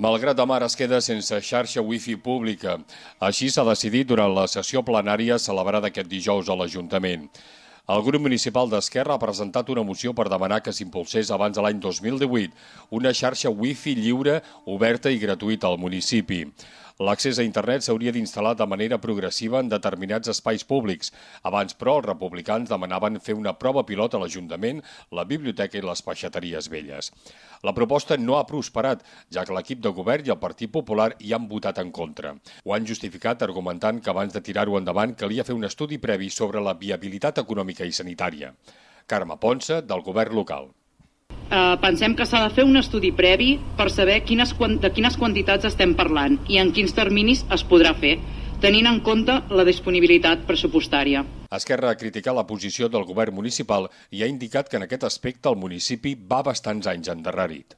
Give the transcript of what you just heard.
Malgrat de Mar es queda sense xarxa wifi pública. Així s'ha decidit durant la sessió plenària celebrada aquest dijous a l'Ajuntament. El grup municipal d'Esquerra ha presentat una moció per demanar que s'impulsés abans de l'any 2018 una xarxa wifi lliure, oberta i gratuïta al municipi. L'accés a internet s'hauria d'instal·lar de manera progressiva en determinats espais públics. Abans, però, els republicans demanaven fer una prova pilot a l'Ajuntament, la biblioteca i les peixateries velles. La proposta no ha prosperat, ja que l'equip de govern i el Partit Popular hi han votat en contra. Ho han justificat argumentant que abans de tirar-ho endavant calia fer un estudi previ sobre la viabilitat econòmica i sanitària. Carme Ponsa, del govern local. Pensem que s'ha de fer un estudi previ per saber de quines quantitats estem parlant i en quins terminis es podrà fer, tenint en compte la disponibilitat pressupostària. Esquerra ha criticat la posició del govern municipal i ha indicat que en aquest aspecte el municipi va bastants anys endarrerit.